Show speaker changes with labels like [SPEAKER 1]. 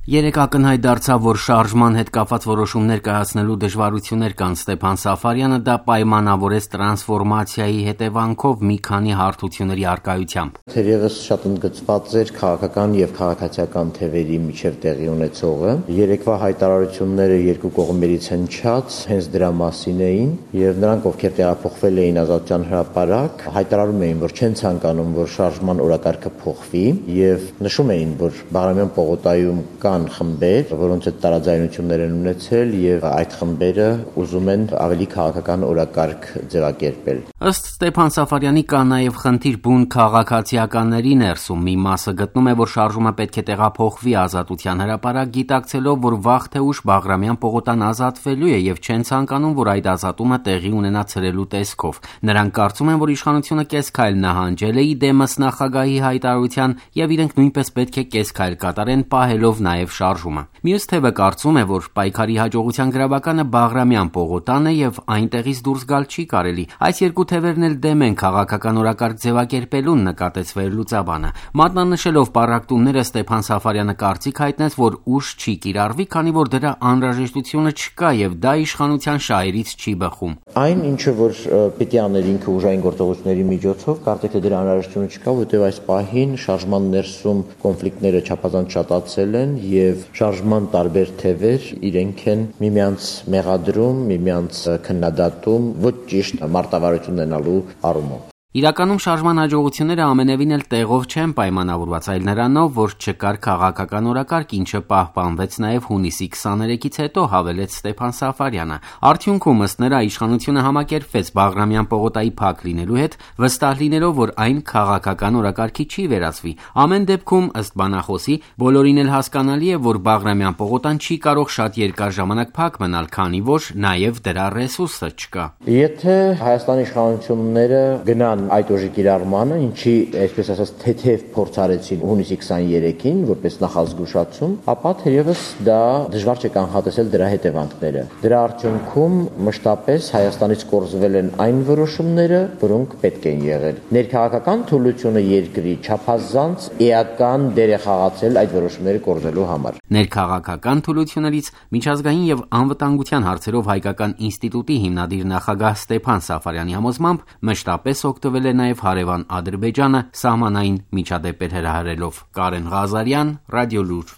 [SPEAKER 1] Երեկ ակնհայտ դարձավ, որ շարժման հետ կապված որոշումներ կայացնելու դժվարություններ կան Ստեփան Սաֆարյանը դա պայմանավորեց տրանսֆորմացիայի հետևանքով մի քանի հարթությունների առկայությամբ։
[SPEAKER 2] Թերևս շատ ընդգծված էր քաղաքական եւ քաղաքացիական թևերի միջև տեղի ունեցողը։ Երեկվա հայտարարությունները երկու կողմերից հնչած հենց դրա մասին էին եւ նրանք, ովքեր տեղափոխվել էին Ազատության հրապարակ, հայտարարում էին, որ չեն ցանկանում, որ շարժման օրակարգը փոխվի եւ նշում էին, որ Բաղրամյան պողոտայում խմբեր, որոնց հետ տարաձայնություններ են ունեցել եւ այդ խմբերը ուզում են ավելի քաղաքական օրակարգ ձևակերպել։
[SPEAKER 1] Ըստ Ստեփան Սաֆարյանի կա նաեւ խնդիր բուն քաղաքացիականների ներսում։ Մի մասը գտնում է, որ շարժումը պետք է տեղափոխվի Ազատության հրապարակ, գիտակցելով, որ վաղ թե ուշ Բաղրամյան պողոտան ազատվելու է եւ չեն ցանկանում, որ այդ ազատումը տեղի ունենա ցրելու տեսքով։ Նրանք կարծում են, որ իշխանությունը կես քայլ նահանջել է իդեմս նախագահի հայտարարության եւ իրենք նույնպես պետք է կես քայլ կատարեն, պահելով նաեւ շարժումը։ Մյուս թևը կարծում է, որ պայքարի հաջողության գրավականը Բաղրամյան պողոտան է եւ այնտեղից դուրս գալ չի կարելի։ Այս երկու թևերն էլ դեմ են քաղաքական օրակարգ ձևակերպելուն, նկատեց Վերլուծաբանը։ Մատնանշելով պառակտումները Ստեփան Սաֆարյանը կարծիք հայտնեց, որ ուժ չի կիրառվի, քանի որ դրա անհրաժեշտությունը չկա եւ դա իշխանության շահերից չի բխում։
[SPEAKER 2] Այն ինչը որ պետք է աներ ինքը ուժային գործողությունների միջոցով, կարծեք թե դրա անհրաժեշտությունը չկա, որտեղ այս պահին շարժման ներսում կոնֆլիկտները չափազանց շատացել են եւ շարժման տարբեր թևեր իրենք են միմյանց մեղադրում, միմյանց քննադատում ոչ ճիշտ մարտավարություն ունենալու առումով։
[SPEAKER 1] Իրականում շարժման հաջողությունները ամենևին էլ տեղով չեն պայմանավորված, այլ նրանով, որ չկար քաղաքական օրակարգ, ինչը պահպանվեց նաև հունիսի 23-ից հետո, հավելեց Ստեփան Սաֆարյանը։ Արդյունքում ըստ նրա իշխանությունը համակերպվեց Բաղրամյան պողոտայի փակ լինելու հետ, վստահ լինելով, որ այն քաղաքական օրակարգի չի վերածվի։ Ամեն դեպքում, ըստ բանախոսի, բոլորին էլ հասկանալի է, որ Բաղրամյան պողոտան չի կարող շատ երկար ժամանակ փակ մնալ, քանի որ նաև դրա ռեսուրսը չկա։
[SPEAKER 2] Եթե Հայաստանի իշխանությունները գնան այդ ուժի կիրառմանը, ինչի, այսպես ասած, թեթև փորձ արեցին հունիսի 23-ին, որպես նախազգուշացում, ապա թերևս դա դժվար չէ կանխատեսել դրա հետևանքները։ Դրա արդյունքում մշտապես Հայաստանից կորզվել են այն որոշումները, որոնք պետք են եղել։ Ներքաղաքական թուլությունը երկրի չափազանց էական դեր է խաղացել այդ որոշումները կորզելու համար։
[SPEAKER 1] Ներքաղաքական թուլություններից միջազգային եւ անվտանգության հարցերով Հայկական ինստիտուտի հիմնադիր նախագահ Ստեփան Սաֆարյանի համոզմամբ մշտապես օգտվել է նաև հարևան Ադրբեջանը սահմանային միջադեպեր հրահրելով։ Կարեն Ղազարյան, Ռադիոլուր։